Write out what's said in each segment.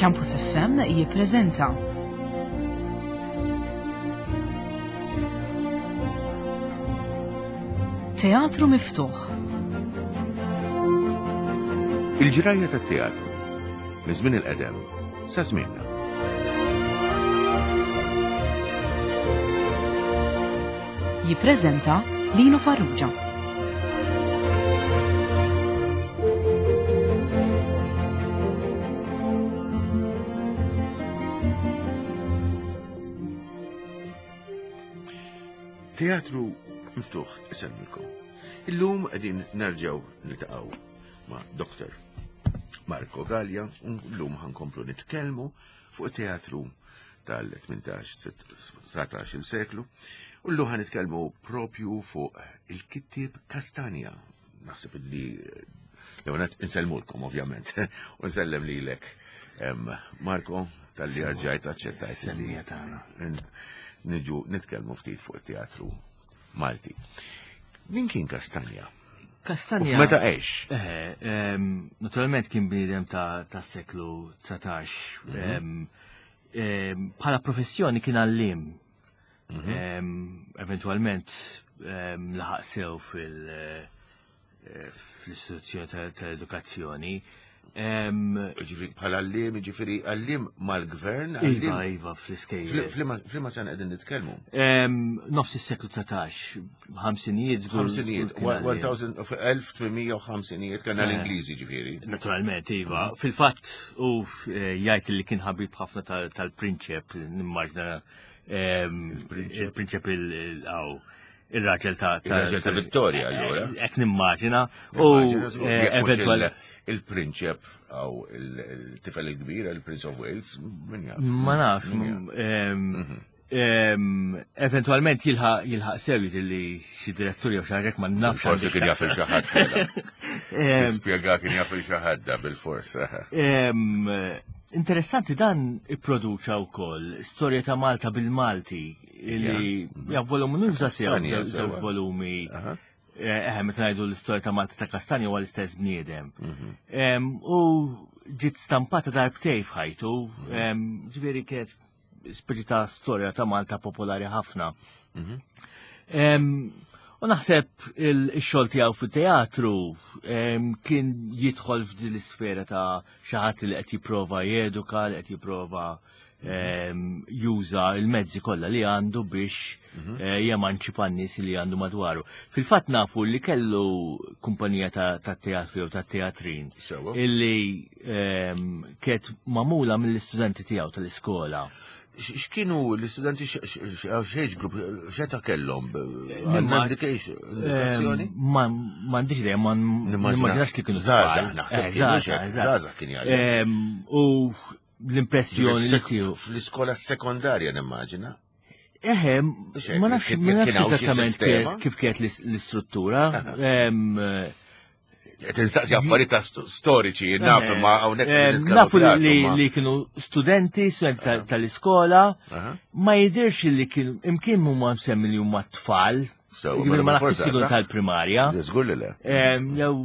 Campus FM jippreżenta Teatru Miftuħ. Il-ġrajja tat-teatru minn żmien il-qedem sa żmienna. Jippreżenta Lino Farrugia. Teatru miftuħ isemmilkom. Illum qegħdin nerġgħu niltaqgħu ma' Dr. Marco Gallia u llum ħankomplu nitkellmu fuq teatru tal-18-19 seklu u llum ħanitkellmu propju fuq il-kittieb Kastanja. Naħseb li l-ewwel insellmulkom ovvjament u nsellem lilek Marco tal-li rġajt aċċettajt li niġu nitkellmu ftit fuq it-teatru Malti. Min kien Kastanja? Kastanja. Meta għex? Eh, naturalment kien bniedem ta' seklu 19. Mhm. Bħala professjoni kien għallim. Mhm. Eventualment laħaq sew fil- eh, fl-istituzzjoni tal-edukazzjoni. Ġifiri, bħala għallim, ġifiri, għallim mal-gvern? Iva, iva, fl-iskejjel. Flima sena qegħdin nitkellmu? Nofs is-seklu 19, ħamsinijiet. Ħamsinijiet, 1850 kien l-Ingliżi ġifiri. Naturalment, iva. Mhm. Fil-fatt, u eh, jgħid li kien ħabib ħafna tal-prinċep, nimmaġna il-prinċep il-għaw il-raġel ta' Il-raġel ta' Vittoria, allura. Ek nimmaġina. U eh, eventual. Il-prinċep għaw il-tifel il-kbir, il-Prince of Wales, min jaf. Ma nafx. Mhm. Eventualment jilħaq sew li xi direttur jew xi ma nafx. Forsi kien jaf il xi ħadd. Spjega kien jaf il xi ħadd bil-fors. Interessanti dan ipproduċa wkoll storja ta' Malta bil-Malti li ja volum nuża sew żewġ volumi. Eh, eh, meta ngħidu l-istorja ta' Malta ta' Kastanja huwa l-istess bniedem. Mhm. U ġiet stampata darbtej f'ħajtu, mhm. ġifieri kienet speċi ta' storja ta' Malta popolari ħafna. Mhm. U naħseb il-xogħol tiegħu fit-teatru kien jidħol f'din l-isfera ta' xi ħadd li qed jipprova jeduka, li qed jipprova juża il-mezzi kollha li għandu biex mhm. eh, jemanċipa n-nies li għandu madwaru. Fil-fatt nafu li kellu kumpanija ta' teatru jew ta' teatrin illi kienet mamula mill-istudenti tiegħu tal-iskola. X'kienu l-istudenti x'age group x'eta kellhom? M'għandix M'għandix idea, ma nimmaġinax li kienu żgħażagħ, naħseb. Eh, żgħażagħ kien jgħallem. U l-impressjoni li tiegħu. Fl-iskola sekondarja nimmaġina. Eħe, ma nafx ma nafx eżattament kif kienet l-istruttura. Qed insaqsi affarijiet ta' storiċi, naf ma hawnhekk. Nafu li kienu studenti, studenti tal-iskola, ma jidirx li kienu imkien huma msemmi li huma tfal, Ġifieri ma nafx kienu tal-primarja. Żgur li le. Jew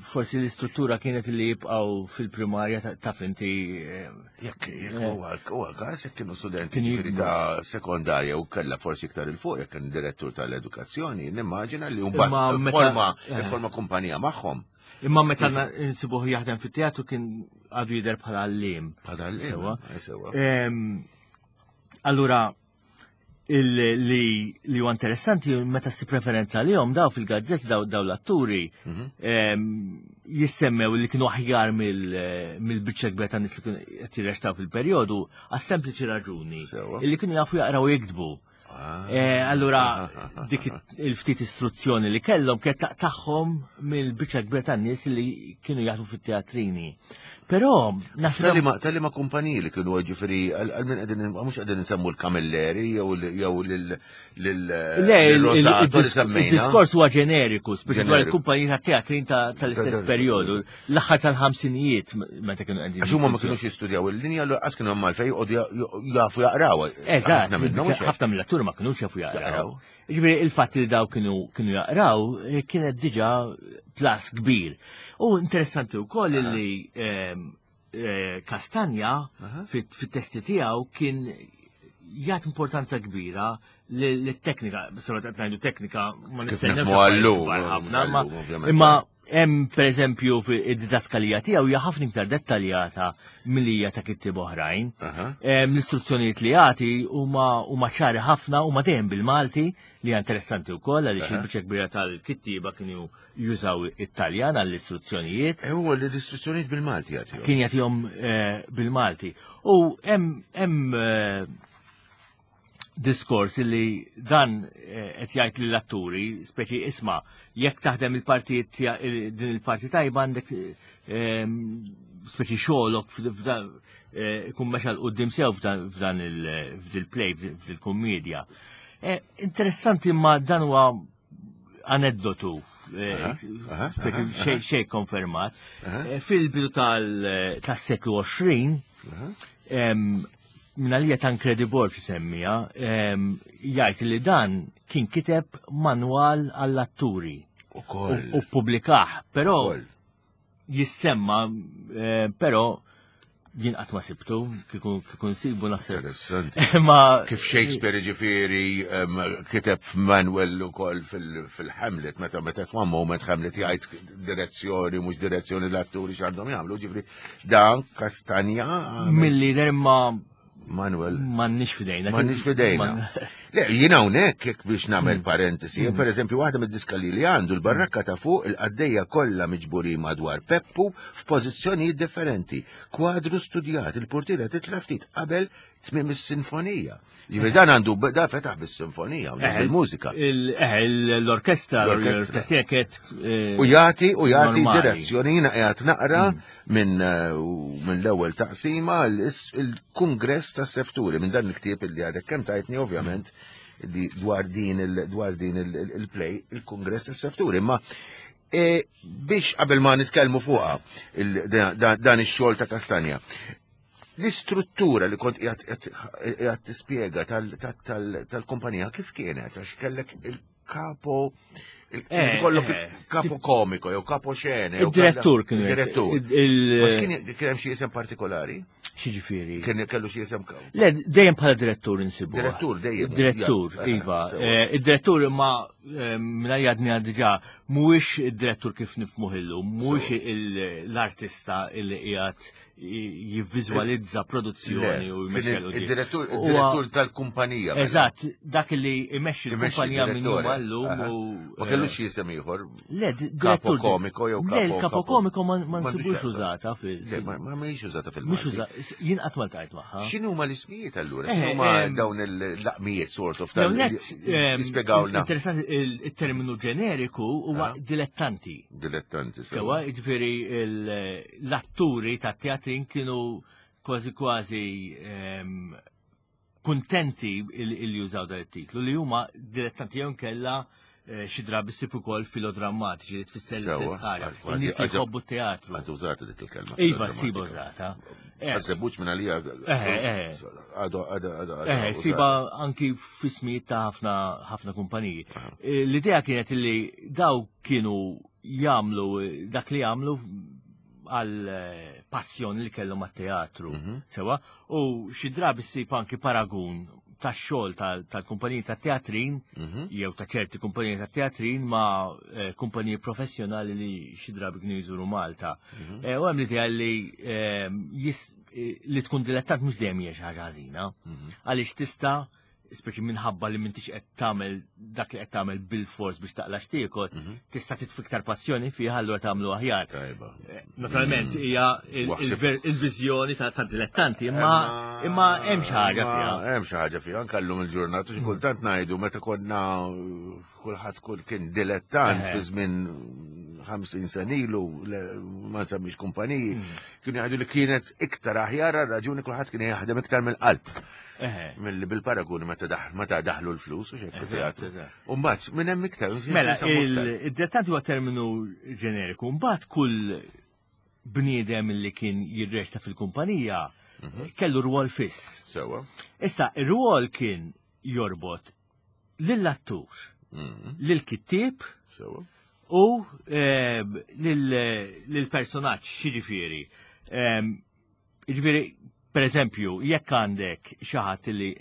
forsi l-istruttura kienet li jibqgħu fil-primarja taf inti. Jekk jekk huwa huwa każ jekk kienu studenti ġifieri ta' sekondarja u kellha forsi iktar il fuq jekk kien direttur tal-edukazzjoni, nimmaġina li mbagħad forma eh. forma kumpanija magħhom. Imma meta nsibuh jaħdem fit-teatru kien għadu jidher bħala għalliem. Bħala għalliem. Sewa. Allura, li li huwa interessanti meta si preferenza li jom daw fil-gazzetti daw daw l-atturi mhm. jissemmew li kienu aħjar mill-biċċa kbira tan nies li kienu qed jirrextaw fil-perjodu għas sempliċi raġuni li kienu jafu jaqraw jiktbu. Ah. Eh, allura dik il-ftit istruzzjoni li kellhom kienet taqtagħhom mill-biċċa kbira tan-nies li kienu jaħdmu fit-teatrini. Però naħseb Tali ma kumpaniji li kienu ġifieri għal min qegħdin mhux qegħdin insemmu l-Kamilleri jew jew lil Le, il-diskors huwa ġeneriku, speċi dwar il-kumpaniji ta' teatrin tal-istess perjodu, l-aħħar tal-ħamsinijiet meta kienu qegħdin. Għax huma ma kinux jistudjaw il-linja l qas kienu hemm għalfejn jafu jaqraw. Eżatt, ħafna mill-atturi ma kinux jafu jaqraw. Ġifieri il-fatt li daw kienu kienu jaqraw eh, kienet diġà plus kbir. U interessanti wkoll li ehm, Kastanja fit-testi tiegħu kien jagħti importanza kbira lit-teknika, sura qed ngħidu teknika ma nistennewx ħafna, imma hemm pereżempju id-didaskalija tiegħu hija ħafna iktar dettaljata milli hija ta' kittieb oħrajn. L-istruzzjonijiet li jagħti huma ċari ħafna huma dejjem bil-Malti li hija interessanti wkoll għaliex il-biċċa kbira tal-kittieba kienu jużaw it-Taljan għall-istruzzjonijiet. E huwa li l-istruzzjonijiet bil-Malti jagħtihom. Kien jagħtihom eh, bil-Malti. U hemm eh, diskors li dan eh, qed jgħid lill-atturi, speċi isma' jekk taħdem il-partijiet din il-parti tajba għandek speċi xogħolok ikun mexa l qudiem sew f'dan il-play, f'dil-kummedja. Interessanti ma dan huwa aneddotu eh, xej konfermat. Eh, fil-bidu tal-seklu 20, minna li Tancredi Borg semmija, jgħid li dan kien kiteb manwal għall-atturi. U publikaħ, però jissemma, eh, però jien qatt ma sibtu, kieku nsibu naħseb. Interessanti. Ma kif Shakespeare ġifieri kiteb Manuel ukoll fil-Hamlet meta meta one moment Hamlet jgħid direzzjoni mhux direzzjoni l-atturi x'għandhom jagħmlu, ġifieri dan Kastanja. Milli ma Manuel. M'għandniex fidejna. M'għandniex fidejna. Le, jien hawnhekk jekk biex nagħmel mm. parentesi, mm. pereżempju waħda mid-diska li għandu l-barrakka ta' fuq il-qaddejja kollha miġburin madwar Peppu f'pożizzjonijiet differenti. Kwadru studjat, il-portiera titla' ftit qabel tmiem is-sinfonija. Jiġifieri dan għandu da fetaħ bis-sinfonija u eh, bil-mużika. Eh, l-orkestra, l-orkestra kienet. Eh, u jagħti u jagħti direzzjoni jiena qiegħed naqra mm. minn min l-ewwel taqsima il-Kungress ta' Sefturi minn dan il-ktieb li għadek kemm tajtni ovvjament li dwar din dwar din il-play il-Kungress ta' Sefturi. Ma e, biex qabel ma nitkellmu fuqha dan ix-xogħol ta' Kastanja. L-istruttura li kont qiegħed tispjega tal-kumpanija kif kienet għax kellek il-kapo eh, kollok eh. kapo komiko jew kapo xene. Il-direttur kien. Il-direttur. Kien hemm xi isem partikolari? Xiġifieri? Kien kellu xi isem Le, dejjem bħala direttur insibu. Direttur dejjem. Direttur, eh, iva. Id-direttur imma minn għadni diġà mhuwiex id-direttur kif nifmuh illum, mhuwiex l-artista li qiegħed jivviżwalizza produzzjoni u jmexxi Il-direttur il-direttur tal-kumpanija. Mela. Eżatt, dak li jmexxi l-kumpanija minn jum għallum u. Ma kellux xi isem ieħor. Le, direttur komiko jew kapo. Le, kapo komiko ma nsibux użata fil. Le, ma mhijiex użata fil. Mhux użata, jien qatt ma ltqajt magħha. X'inhu ma l-ismijiet allura? Eh, X'inhuma eh, dawn il-laqmijiet sort of tal Jispjegawlna. Interessanti il-terminu ġeneriku huwa ah. dilettanti. Dilettanti. Sewa, ġifieri l-atturi ta' teatrin kienu kważi kważi ehm, kuntenti il jużaw dan it-titlu li huma dilettanti jew kella eh, xi drabi ssib ukoll filodrammatiċi li tfisser l-istess ħaġa. In-nies li jħobbu t-teatru. Għad użata dik il-kelma. Iva, ssiba użata. Eh, Għazzebuċ minn għalija. Eh, Għadu, għadu, għadu. Eh, siba anki fismijiet ta' ħafna ħafna kumpaniji. L-idea kienet li daw kienu jagħmlu dak li jagħmlu għal eh, passjoni li kellhom għat-teatru. Mhm. Sewa, u xi drabi ssib anki paragun tax-xogħol tal-kumpaniji tat-teatrin mhm. jew ta' ċerti kumpaniji tat-teatrin ma' eh, kumpaniji professjonali li xi drabi kienu jżuru Malta. Mhm. Eh, u hemm l-idea li li tkun dilettant mhux dejjem hija xi ħaġa ħażina. Għaliex tista' speċi minħabba li m'intix qed tagħmel dak li qed tagħmel bil-fors biex taqla x'tiekol, mhm. tista' titfi iktar passjoni fih allura tagħmlu aħjar. Eh, naturalment mm. hija il-viżjoni ta' dilettanti, imma imma hemm xi ħaġa fiha. Hemm xi ħaġa fiha anke llum il-ġurnata xi kultant ngħidu meta konna kulħadd kull kien dilettant fi żmien 50 sen ilu ma nsemmix kumpaniji, mm. kienu jgħidu li kienet iktar aħjar raġuni kulħadd kien jaħdem iktar mill-qalb. Milli bil-paraguni meta daħlu l-flus u xejn teatru. U mbagħad minn hemm iktar. Mela, id-dilettanti huwa terminu ġeneriku, mbagħad kull bniedem li kien jirreċta fil-kumpanija mhm. kellu rwol fiss. Sewa. Issa, ir-rwol kien jorbot lill-attur, mhm. lill-kittieb u ehm, lill-personaġġ, xiġifieri. Ehm, Jiġifieri, per eżempju, jekk għandek xi ħadd li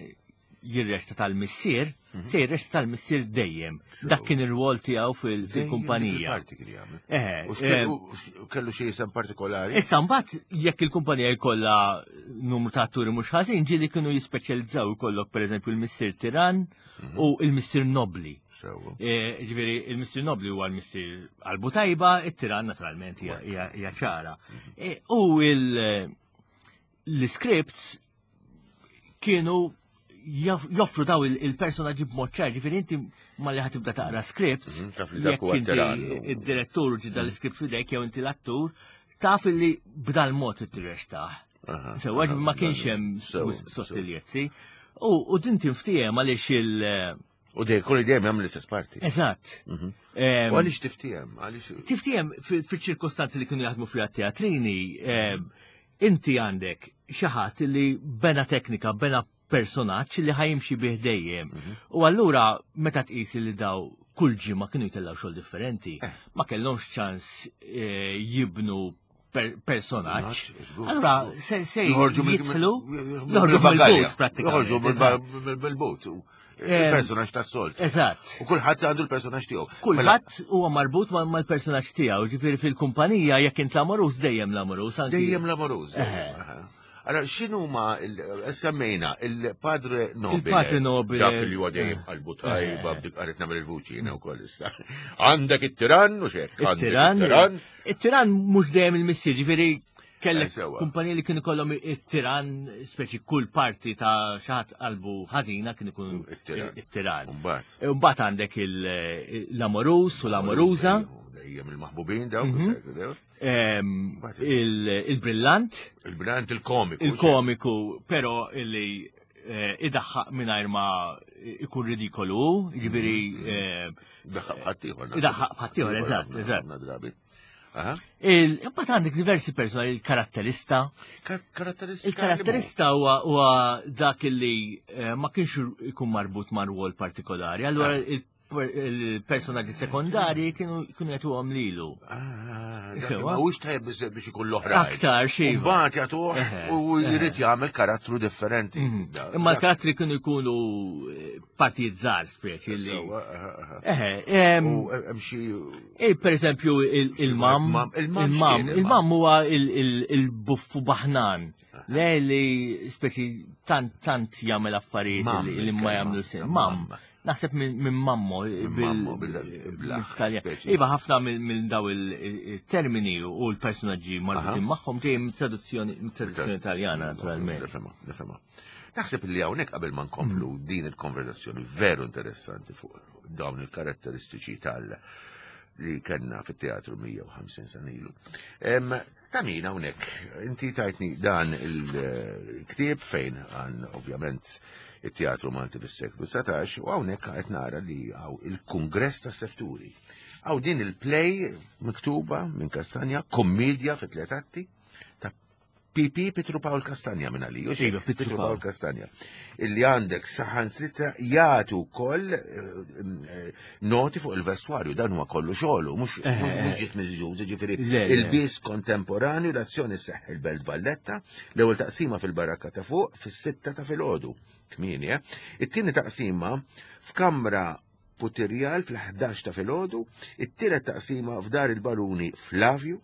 jirrexta tal-missier, mhm. se jirrexta tal-missier dejjem. Dak kien ir-rwol tiegħu fil-kumpanija. Eh, kellu xi jisem partikolari. Issa mbagħad jekk il-kumpanija jkollha numru ta' atturi mhux ħażin, ġieli kienu jispeċjalizzaw ikollok pereżempju l-missier tiran mhm. u l-missier nobli. Eh, ġifieri il-missier nobli huwa l-missier qalbu tajba, it-tiran naturalment hija ċara. Mhm. Eh, u l-scripts kienu joffru daw il-personaġġi b'mod ċar, ġifieri inti ma li ħatibda taqra script, mhm, jekk inti id-direttur ġidda mhm. l-script fidejk jew inti l-attur, taf li b'dal mod it-tirrestaħ. Sewa ma kienx hemm sottiljezzi. U din tinftiehem għaliex il- U dej, kull dejjem jagħmel l-istess parti. Eżatt. Mhm. U għaliex tiftiehem? Għaliex Tiftiehem fil-ċirkostanzi li kienu jaħdmu fiha teatrini, inti għandek xi ħadd li bena teknika, bena personaġġ li ħajimxi bih dejjem. Mhm. U allura meta tqis li daw kull ġimgħa kienu jtellgħu xogħol differenti, eh. ma kellhomx ċans eh, jibnu personaġġ. Allura se se jħorġu jidħlu joħorġu mill-but prattikament. Joħorġu mill-but. Il-personaġġ tas-solt. Eżatt. U kulħadd għandu l-personaġġ tiegħu. Mela- kulħadd huwa marbut mal-personaġġ tiegħu, ġifieri fil-kumpanija jekk int l-amorus dejjem l-amorus. Dejjem l-amorus. Allora, xinu ma semmejna il-Padre Nobile. Il-Padre Nobile. Dak li huwa dejjem qalbu tajba, bdik qaret nagħmel il-vuċi jiena wkoll issa. Għandek it-tiran u xek. Il-tiran. Il-tiran mhux dejjem il-missier, ġifieri kellek eh, kumpanija li kienu kollhom it-tiran, speċi kull parti ta' xaħat qalbu ħażina kien ikun it-tiran. Mbagħad għandek l-amorus u l-amoruża. Dejjem il-maħbubin dawk. Mhm. Il-brillant. Il-brillant il-komiku. Il-komiku, pero illi eh, idaħħaq mingħajr ma ikun ridikolu, jiġifieri mm-hmm. eh, Idaħħaq bħattieħor. Idaħħaq bħattieħor, eżatt, eżatt. Imbagħad għandek diversi persuni, il-karatterista. Karatterista. Il-karatterista huwa dak illi eh, ma kienx ikun marbut ma' rwol partikolari. Allura ah. il-personaġġi sekondarji kienu kienu jagħtuhom lilu. Ah, ma hux tajjeb biżejjed biex ikun l-oħra. Aktar xi. Mbagħad jagħtuh u jrid jagħmel karattru differenti. Mhm. Imma l-karattri kienu jkunu eh, partijiet żgħar speċi li. Eħe, hemm xi. Eh, per eżempju il-mam. Il-mam il-mam huwa il-buffu baħnan. Le li speċi tant tant jagħmel affarijiet li ma jagħmlu sen. Mam. Naħseb minn mammo bil-Italjan. Iva ħafna minn daw il-termini u l-personaġġi marbutin magħhom ġej traduzzjoni traduzzjoni Italjana naturalment. Nifhimha, nifhimha. Naħseb li hawnhekk qabel ma nkomplu mm. din il-konverzazzjoni veru interessanti fuq dawn il-karatteristiċi tal li kellna fit-teatru 150 sena ilu. Ta' min hawnhekk, inti tajtni dan il-ktieb fejn għan ovvjament it-teatru Malti fis-seklu 19 u hawnhekk qed nara li hawn il-Kungress tas Sefturi. Hawn din il-play miktuba minn Kastanja, kommedja fi tliet atti ta' PP Pietru Pawl Kastanja minn għalija. Iva, Pietru Pawl Kastanja. Illi għandek saħan sitra jagħtu wkoll eh, eh, noti fuq il-vestwarju, dan huwa kollu xogħlu, mhux eh, eh. ġiet miżjud, ġifieri il-biss kontemporanju l-azzjoni seħħ il-Belt Valletta, l-ewwel taqsima fil-barakka ta' fuq fis-sitta ta' filgħodu, kmieni, eh. It-tieni taqsima f'kamra Putirjal fl-11 ta' filgħodu, it-tielet taqsima f'Dar il-Baruni Flavju,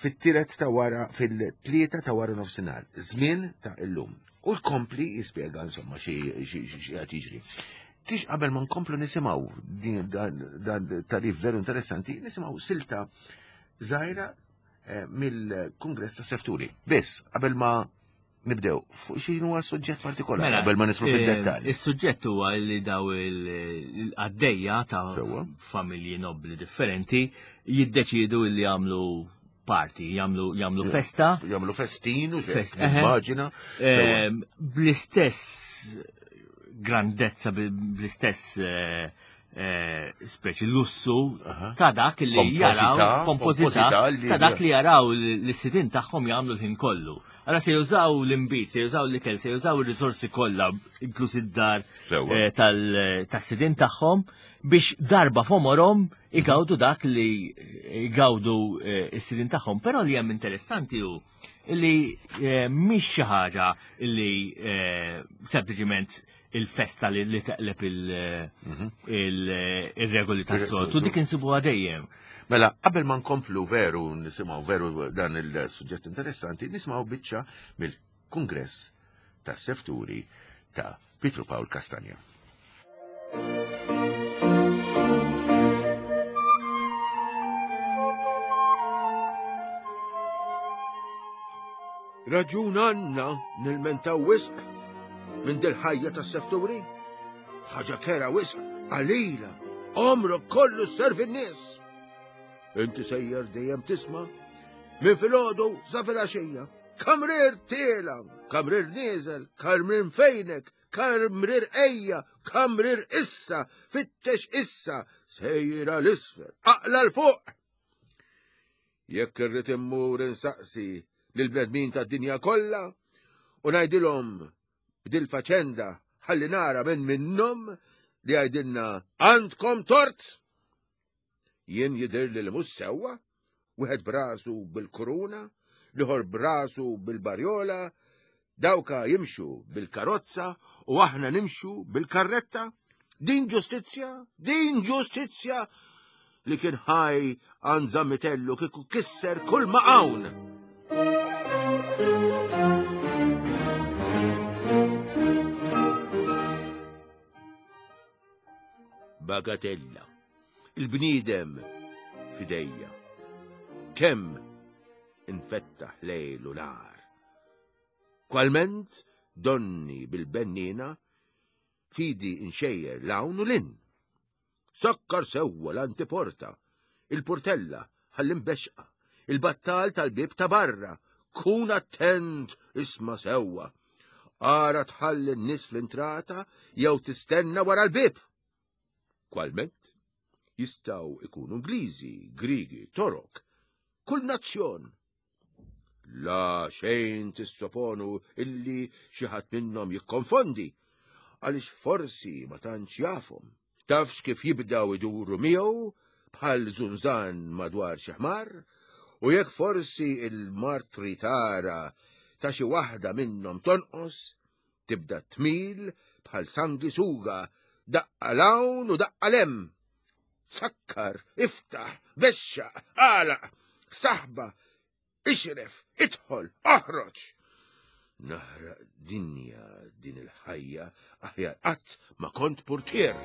fit-tielet ta' wara fil-tlieta ta' wara nofsinhar, żmien ta' illum. U jkompli jispjega insomma xi qed jiġri. Tix qabel ma nkomplu nisimgħu dan tarif veru interessanti, nisimgħu silta żgħira eh, mill-Kungress ta' Sefturi. Biss, qabel ma nibdew fuq x'inhu huwa suġġett partikolari mela, qabel ma nidħlu eh, fid-dettall. Is-suġġett huwa li daw il-għaddejja ta' familji nobbli differenti jiddeċidu li jagħmlu party, jagħmlu jagħmlu festa. Jagħmlu festin u immaġina. Ehm, bl-istess grandezza, bl-istess eh, eh, speċi lussu ta' dak li jaraw, pompożità ta' dak li jaraw l-sidin tagħhom jagħmlu l-ħin kollu. Allora se jużaw l-imbit, se jużaw l-ikel, se jużaw ir-risorsi kollha, inkluż id-dar eh, tas-sidin tagħhom biex darba f'għomorhom igawdu dak li igawdu eh, s-sidin tagħhom. Però li hemm interessanti hu li eh, mhix xi ħaġa li sempliċiment il-festa li teqleb mhm. il-regoli tas-soltu, dik insibuha dejjem. Mela, qabel ma nkomplu veru nisimgħu veru dan il-suġġett interessanti, nisimgħu biċċa mill-Kungress tas-Sefturi ta' Pietru Pawl Castagna. Raġun għandna nilmentaw wisq minn dil-ħajja tas-sefturi? Ħaġa kera wisq qalila, għomrok kollu sservi n-nies. Inti sejjer dejjem tisma' minn filgħodu sa filgħaxija. Kamrir tiela, kamrir nieżel, kamrir fejnek, kamrir ejja, kamrir issa, fittex issa, sejra l-isfel, aqla l-fuq. Jekk irrid immur insaqsi lill-bnedmin tad-dinja kollha u ngħidilhom b'dil-faċenda ħalli nara minn minnhom li jgħidilna għandkom tort. Jien jidhirli li mhux sewwa, wieħed brasu bil-kuruna, l-ieħor brasu bil-barjola, Dawka jimxu bil-karozza u aħna nimxu bil-karretta. Din ġustizzja, din ġustizzja li kien ħaj għand Zammitellu kieku kisser kull ma hawn. Bagatella, il-bniedem fidejja. Kemm infettaħ lejl u nar. Kwalment donni bil-benniena fidi nxejjer l-hawn u l-in. Sakkar sewwa l-antiporta, il-purtella ħalli mbexqa, il-battal tal-bieb ta' barra, kun attent isma' sewwa. Ara tħalli n-nies fl-intrata jew tistenna wara l-bieb. Kwalment jistgħu ikunu Ingliżi, Griegi, Torok, kull nazzjon. La xejn tissoponu illi xi ħadd minnhom jikkonfondi, għaliex forsi ma tantx jafhom. Tafx kif jibdaw iduru miegħu bħal żunżan madwar xi ħmar, u jekk forsi il-martri tara ta' xi waħda minnhom tonqos, tibda tmil bħal sangisuga, daqqa l-hawn u daqqa l-hemm. Sakkar, iftaħ, bexxaq, għalaq, staħba, ixref, idħol, oħroġ. Naħraq dinja din il-ħajja aħjar qatt ma kont purtier.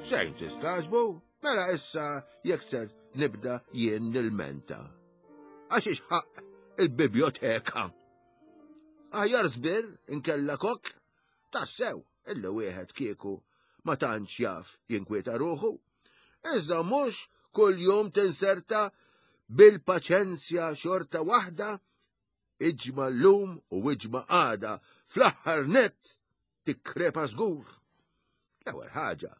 Xejn tistaġbu, mela issa jekk ser nibda jien nilmenta. Għax ixħaq il-biblioteka. Aħjar żbir inkella kok, tassew illi wieħed kieku ma tantx jaf jinkwieta ruħu. Iżda mhux kull jum tinserta bil-paċenzja xorta waħda iġma llum u iġma għada fl-aħħar nett tikkrepa żgur. L-ewwel ħaġa,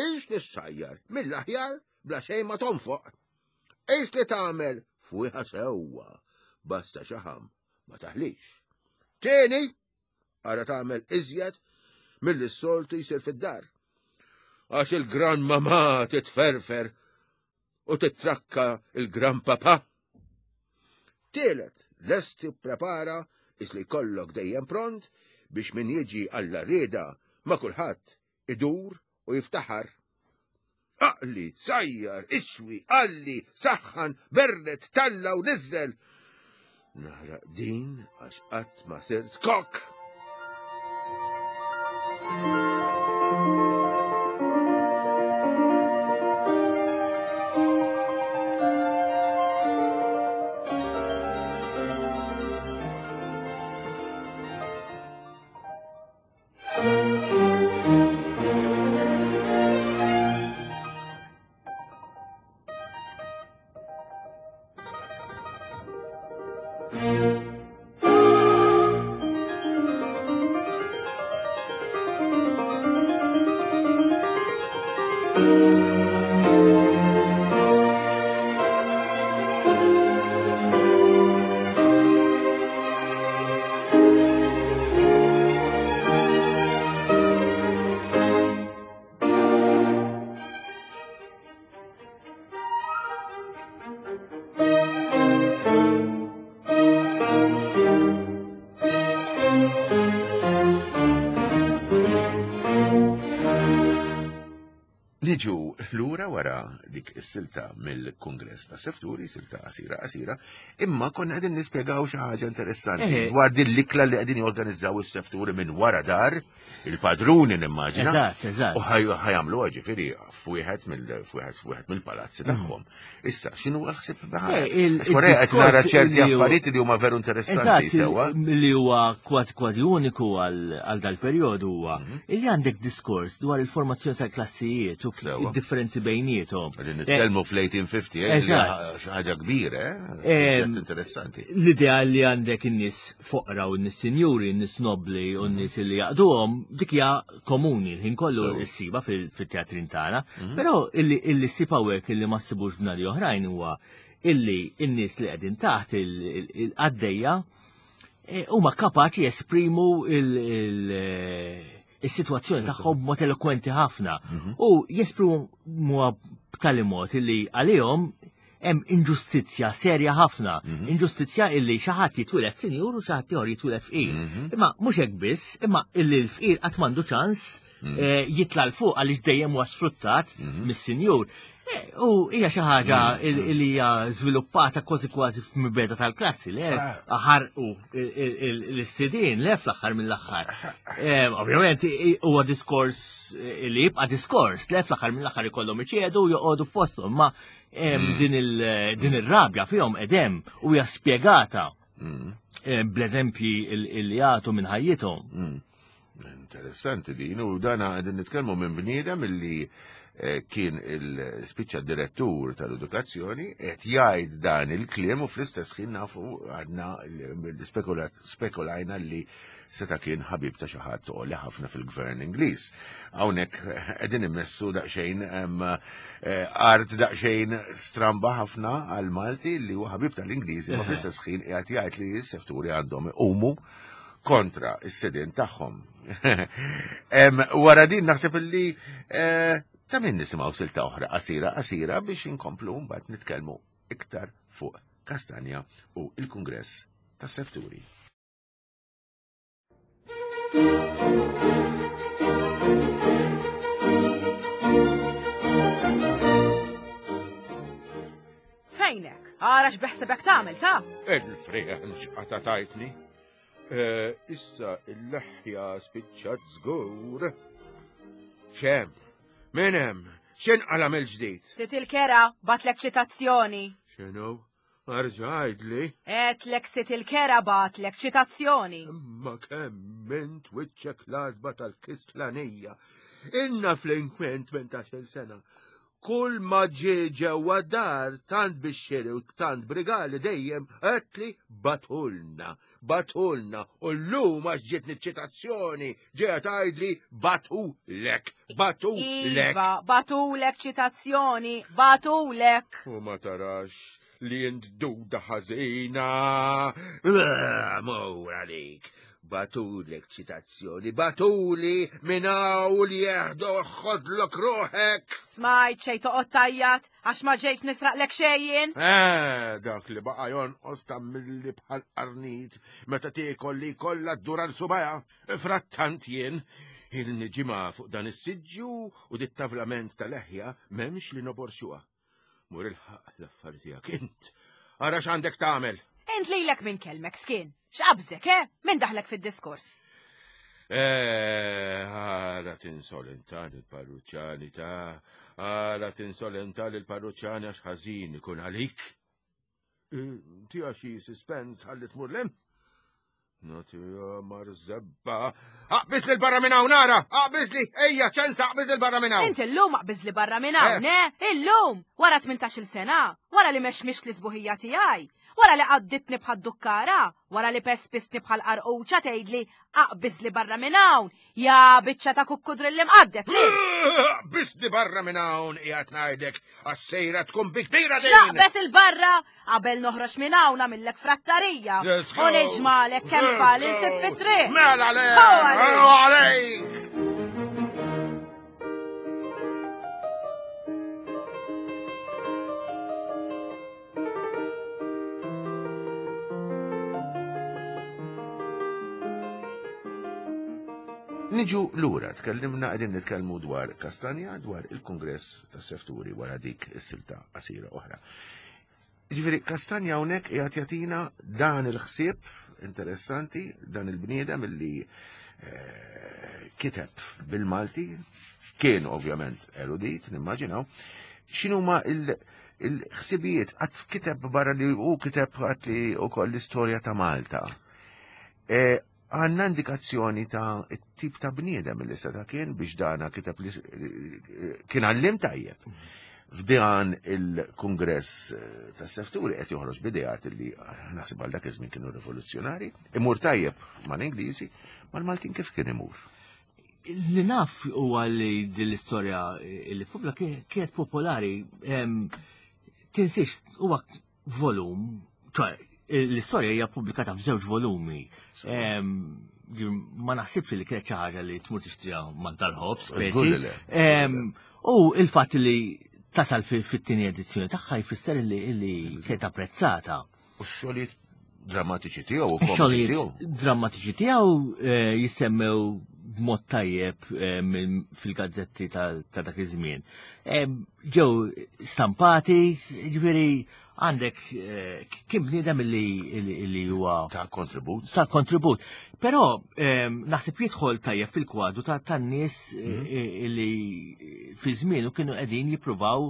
ix li ssajjar mill-aħjar bla xejn ma tonfoq. Ix li tagħmel fwieħa sewwa basta xaħam ma taħlix. Tieni, ara tagħmel iżjed milli s-soltu jsir fid-dar. Għax il-gran mamà titferfer u titrakka il-gran papà. Tielet, lesti prepara is li jkollok dejjem pront biex min jiġi għalla rieda ma' kulħadd idur u jiftaħar. Aqli, sajjar, iswi, qalli, saħħan, berret, talla u niżżel. Naħraq din għax qatt ma sirt kok. Niġu lura wara dik is-silta mill-Kungress ta' Sefturi, silta qasira qasira, imma konna qegħdin nispjegaw xi ħaġa interessanti dwar din l-ikla li qegħdin jorganizzaw is-Sefturi minn wara dar il-padruni nimmaġina. Eżatt, eżatt. U ħajamlu ġifieri f'wieħed mill-f'wieħed f'wieħed mill-palazzi mm. tagħhom. Issa, x'inhu l-ħsieb eh, Wara qed nara ċerti affarijiet li huma veru interessanti sewwa. Li huwa kważi kważi uniku għal dal-perjodu huwa mhm. illi għandek diskors dwar il-formazzjoni tal-klassijiet u id-differenzi bejniethom. Li nitkellmu fl-1850, eh, xi ħaġa kbira, eh? Interessanti. L-idea li għandek in-nies foqra u n-nies sinjuri, n-nies nobbli u n-nies li jaqduhom, dik hija komuni l-ħin kollu ssiba fit-teatrin tagħna. Mhm. Però illi ssib hawnhekk illi ma ssibux b'nadi oħrajn huwa illi n-nies li qegħdin taħt il-qaddejja eh, huma kapaċi jesprimu is-sitwazzjoni tagħhom b'mod elokwenti ħafna mhm. u jesprimu b'tali mod illi għalihom hemm inġustizzja serja ħafna, mhm. inġustizzja illi xi ħadd jitwieled sinjur u xi ħadd ieħor jitwieled fqir. Mhm. Imma mhux hekk biss, imma illi l-fqir qatt m'għandu ċans mhm. eh, jitla' l fuq għaliex dejjem huwa sfruttat mis-sinjur. Eh, u hija xi ħaġa li hija żviluppata kważi kważi f'mibeda tal-klassi li ah. ħarqu l-istidin le fl-aħħar mill-aħħar. Eh, ovvjament huwa diskors li jibqa' diskors le fl-aħħar mill-aħħar ikollhom iċedu u joqogħdu f'posthom, ma mm. din ir-rabja fihom edem u hija spjegata mm. eh, bl-eżempji li jagħtu minn ħajjithom. Mm. Interessanti din u dana qegħdin nitkellmu minn bniedem illi eh, kien il-spiċċa direttur tal-edukazzjoni qed jgħid dan il-kliem u fl-istess ħin nafu għadna spekulajna li seta' kien ħabib ta' xi ħadd għoli ħafna fil-gvern Ingliż. Hawnhekk qegħdin immessu daqsxejn eh, art daqsxejn stramba ħafna għal Malti li huwa ħabib tal-Ingliżi ma fl-istess ħin qiegħed jgħid li s-sefturi għandhom iqumu kontra s-sidien tagħhom. Wara din naħseb illi eh, ta' min nisimgħu silta oħra qasira qasira biex inkomplu mbagħad nitkellmu iktar fuq Kastanja u il-Kungress tas-Sefturi. Fejnek? Ara x'beħsebek tagħmel ta'? Il-frieħ x'qata tajtni. Eh, issa il-leħja spiċċat żgur. Xem, min hemm? X'inqala mill-ġdid? Sit il-kera batlek ċitazzjoni. X'inhu? Arġa' għidli. Għedtlek sid il-kera bagħatlek ċitazzjoni. Imma kemm int wiċċek l-għasba tal-kislanija. Ilna fl-inkwent 18-il sena. Kull ma ġie ġewwa dar tant bix-xiri u tant brigali dejjem għedtli batulna, batulna u llum għax ġietni ċitazzjoni ġejja tgħidli batulek, batulek. Iva, batulek ċitazzjoni, batulek. U ma tarax li int duda ħażina. Mur għalik. Batulek ċitazzjoni, batuli minn hawn li jeħdu ħodlok ruħek. Smajt xejn toqgħod tajjat għax ma ġejt nisraqlek xejn. Eh, dak li baqa' jonqos ta' milli bħal qarnit meta tiekol li kollha ddur għal subajha. Frattant jien ilni ġimgħa fuq dan is-siġġu u dit-tavlament ta' leħja m'hemmx li noborxuha. Mur ilħaq l-affari tiegħek int. Ara x'għandek tagħmel. Int lilek minn kelmek skin. X'qabżek, eh? Min daħlek fid-diskors? Eh, għara tinsolenta lill-parruċċani ta' għara tinsolenta lill-parruċċani għax ħażin ikun għalik. Tija xi suspens ħalli tmur lem? Natija marzebba. Aqbiż li barra minn hawn ara! Aqbiż li! Ejja, ċensa, aqbiż li barra minn hawn! Int illum aqbiż li barra minn hawn, eh? eh? Illum! Wara 18-il sena, wara li mexmix li sbuħija tiegħi, wara li qadditni bħad dukkara, wara li pespistni bħal qarquċa tgħidli aqbiż li barra minn hawn, Ja biċċa ta' kukkudrilli mqaddef li. Biss barra minn hawn qiegħed ngħidlek għas-sejra tkun bi kbira din. Xaqbes il-barra qabel noħroġ minn hawn għamillek frattarija. U niġmalek kemm tfal insib fit-triq. Mela le! Għalejk! Niġu lura, tkellimna qegħdin nitkellmu dwar Kastanja, dwar il-Kungress tas-Sefturi wara dik is-silta qasira oħra. Ġifieri Kastanja hawnhekk qiegħed jagħtina dan il-ħsieb interessanti, dan il-bniedem illi eh, kiteb bil-Malti, kien ovvjament erudit, nimmaġinaw, x'inhuma il-ħsibijiet qatt kiteb barra li hu kiteb qatt li wkoll l-istorja ta' Malta. Eh, Għandna indikazzjoni ta' tip ta' bniedem li seta' kien biex dana kiteb li kien għallim tajjeb. F'dan il-kongress eh, ta' sefturi qed joħroġ b'ideat li eh, naħseb għal dak iż-żmien kienu rivoluzzjonari, imur tajjeb mal-Ingliżi, mal-Maltin kif kien imur? Li naf huwa li din l-istorja li pubblika kienet popolari tinsiex huwa volum, ċoħe, l-istorja hija pubblikata f'żewġ volumi. Ma naħsibx li kienet xi ħaġa li tmur tixtriha man tal-ħobż, U il-fatt li tasal fit-tieni edizzjoni tagħha jfisser li kienet apprezzata. U x-xogħlijiet drammatiċi tiegħu u xogħlijiet drammatiċi tiegħu eh, jissemmew b'mod tajjeb eh, fil-gazzetti ta' dak iż-żmien. Eh, ġew stampati, ġifieri għandek kien bniedem li huwa ta' kontribut. Ta' kontribut. Però naħseb jidħol tajjeb fil-kwadru ta' tan-nies mhm. li fi żmienu kienu qegħdin jippruvaw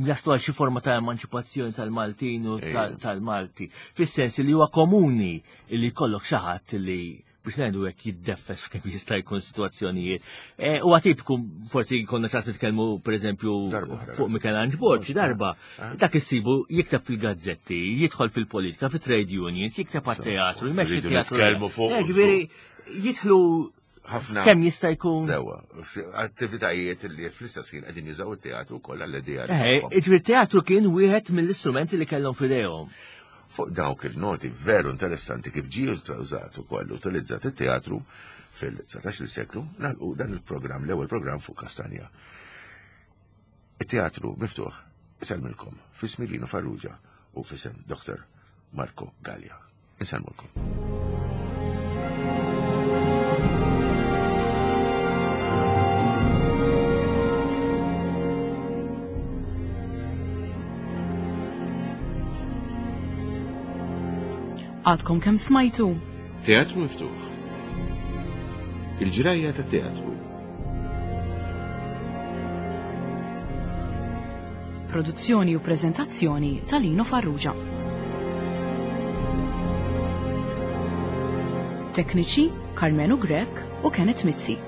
jaslu għal xi forma ta' emanċipazzjoni tal-Maltin u tal-Malti. Fis-sens li huwa komuni li jkollok xi ħadd li biex ngħidu hekk jiddeffes f'kemm jista' jkun sitwazzjonijiet. E, huwa tipiku forsi konna ċans nitkellmu pereżempju fuq Michelangelo Borg xi darba. Eh? Dak issibu jikteb fil-gazzetti, jidħol fil-politika, fit-trade unions, jikteb għat-teatru, jmexxi teatru. Eh, ġifieri jidħlu ħafna. Kemm jista' jkun. Sewa, attivitajiet li fl-istess ħin qegħdin jużaw it-teatru wkoll għall-idea. Eh, ġifieri teatru kien wieħed mill-istrumenti li kellhom f'idejhom. Fuq dawk il-noti veru interessanti kif ġie użat ukoll utilizzat it-teatru fil-19 seklu, nagħlqu dan il-programm, l-ewwel programm fuq Kastanja. It-teatru miftuħ isellmilkom f'ismi Lino Farrugia u f'isem Dr. Marco Gallia. Insellmulkom. Għadkom kemm smajtu? Teatru miftuħ. Il-ġrajja ta' teatru. Produzzjoni u preżentazzjoni ta' Lino Farrugia. Tekniċi Carmenu Grech u Kenneth Mizzi.